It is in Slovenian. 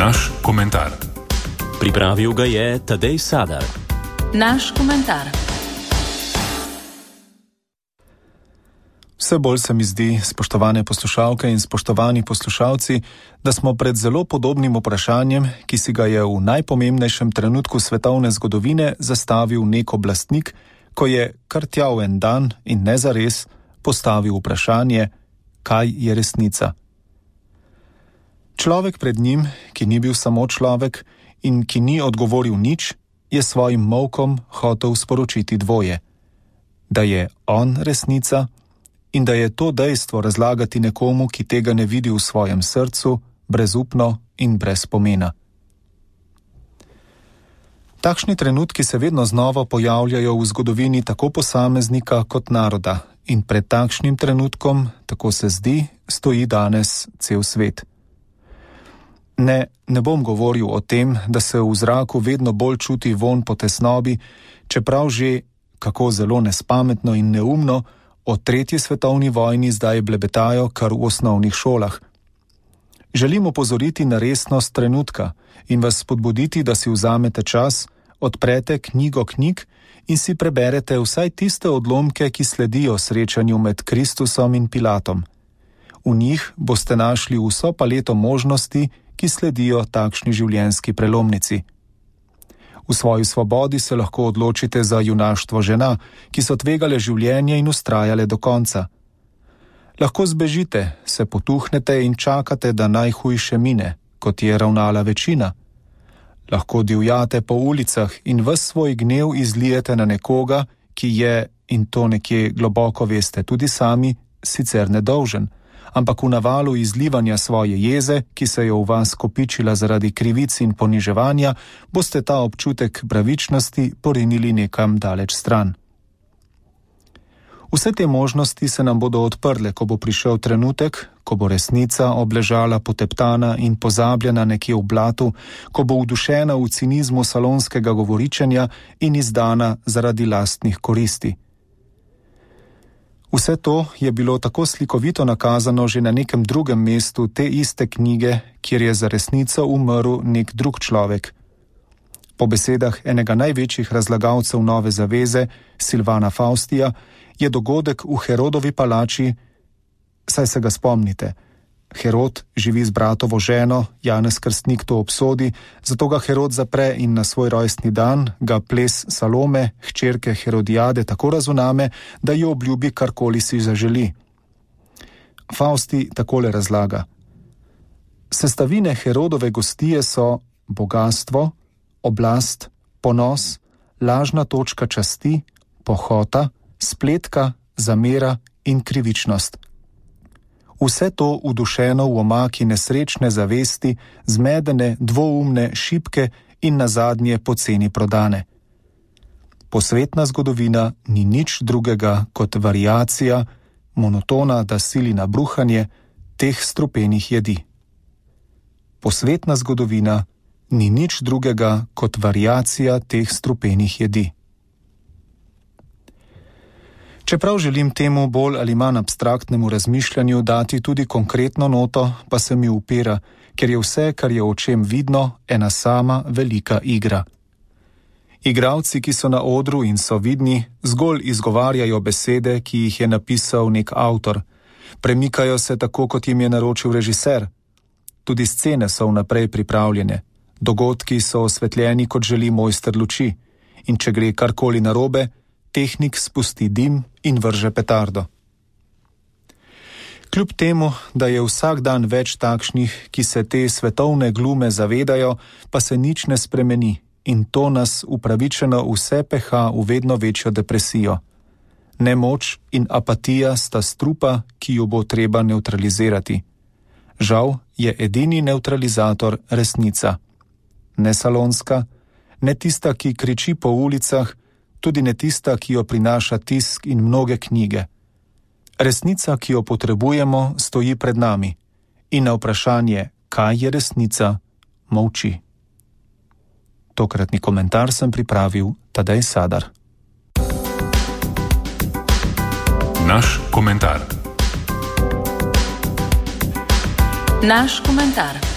Naš komentar. Pripravil ga je Tadej Sadar. Naš komentar. Vse bolj se mi zdi, spoštovane poslušalke in spoštovani poslušalci, da smo pred zelo podobnim vprašanjem, ki si ga je v najpomembnejšem trenutku svetovne zgodovine zastavil nek oblastnik, ko je kar tja v en dan in ne zares postavil vprašanje, kaj je resnica. Človek pred njim, ki ni bil samo človek in ki ni odgovoril nič, je svojim molkom hotel sporočiti dvoje. Da je on resnica in da je to dejstvo razlagati nekomu, ki tega ne vidi v svojem srcu, brezupno in brez pomena. Takšni trenutki se vedno znova pojavljajo v zgodovini tako posameznika kot naroda in pred takšnim trenutkom, tako se zdi, stoji danes cel svet. Ne bom govoril o tem, da se v zraku vedno bolj čuti vonj po tesnobi, čeprav že, kako zelo nespametno in neumno, o 3. svetovni vojni zdaj blebetajo kar v osnovnih šolah. Želim opozoriti na resnost trenutka in vas spodbuditi, da si vzamete čas, odprete knjigo knjig in si preberete vsaj tiste odlomke, ki sledijo srečanju med Kristusom in Pilatom. V njih boste našli vso paleto možnosti, ki sledijo takšni življenjski prelomnici. V svoji svobodi se lahko odločite za junaštvo žena, ki so tvegale življenje in vztrajale do konca. Lahko zbežite, se potuhnete in čakate, da najhujše mine, kot je ravnala večina. Lahko divjate po ulicah in ves svoj gnev izlijete na nekoga, ki je, in to nekje globoko veste tudi sami, sicer nedolžen, ampak v navalu izlivanja svoje jeze, ki se je v vas kopičila zaradi krivic in poniževanja, boste ta občutek pravičnosti porinili nekam daleč stran. Vse te možnosti se nam bodo odprle, ko bo prišel trenutek, ko bo resnica obležala poteptana in pozabljena nekje v blatu, ko bo udušena v cinizmu salonskega govoričenja in izdana zaradi lastnih koristi. Vse to je bilo tako slikovito nakazano že na nekem drugem mestu te iste knjige, kjer je za resnico umrl nek drug človek. Po besedah enega največjih razlagalcev Nove zaveze, Silvana Faustija, je dogodek v Herodovi palači, saj se ga spomnite. Herod živi z bratovo ženo, Janez Krstnik to obsodi, zato ga Herod zapre in na svoj rojstni dan ga ples Salome, hčerke Herodijade, tako razuname, da jo obljubi karkoli si zaželi. Fausti takole razlaga. Sestavine Herodove gostije so bogastvo, oblast, ponos, lažna točka časti, pohota, spletka, zamera in krivičnost. Vse to udušeno v omaki nesrečne zavesti, zmedene, dvoumne, šibke in nazadnje poceni prodane. Posvetna zgodovina ni nič drugega kot variacija, monotona, da sili na bruhanje teh strupenih jedi. Posvetna zgodovina ni nič drugega kot variacija teh strupenih jedi. Čeprav želim temu bolj ali manj abstraktnemu razmišljanju dati tudi konkretno noto, pa se mi upira, ker je vse, kar je očem vidno, ena sama velika igra. Igralci, ki so na odru in so vidni, zgolj izgovarjajo besede, ki jih je napisal nek avtor. Premikajo se tako, kot jim je naročil režiser. Tudi scene so vnaprej pripravljene. Dogodki so osvetljeni, kot želi mojster luči. In če gre karkoli narobe, tehnik spusti dim in vrže petardo. Kljub temu, da je vsak dan več takšnih, ki se te svetovne glume zavedajo, pa se nič ne spremeni in to nas upravičeno vse peha v vedno večjo depresijo. Nemoč in apatija sta strupa, ki jo bo treba nevtralizirati. Žal je edini nevtralizator resnica. Ne salonska, ne tista, ki kriči po ulicah, tudi ne tista, ki jo prinaša tisk in mnoge knjige. Resnica, ki jo potrebujemo, stoji pred nami in na vprašanje, kaj je resnica, molči. Tokratni komentar sem pripravil Tadej Sadar. Naš komentar. Naš komentar.